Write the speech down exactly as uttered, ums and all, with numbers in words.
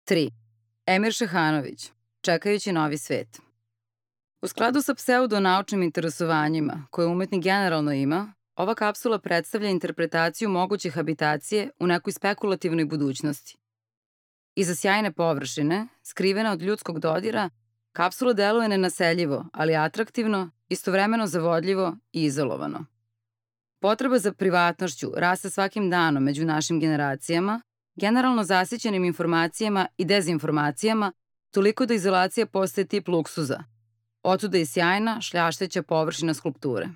tri. Emir Šehanović, Čekajući novi svet. U skladu sa pseudonaučnim interesovanjima, koje umetnik generalno ima, ova kapsula predstavlja interpretaciju moguće habitacije u nekoj spekulativnoj budućnosti. Iza sjajne površine, skrivena od ljudskog dodira, kapsula deluje nenaseljivo, ali atraktivno, istovremeno zavodljivo i izolovano. Potreba za privatnošću raste svakim danom među našim generacijama, generalno zasićenim informacijama i dezinformacijama, toliko da izolacija postaje tip luksuza. Otuda i sjajna, šljašteća površina skulpture.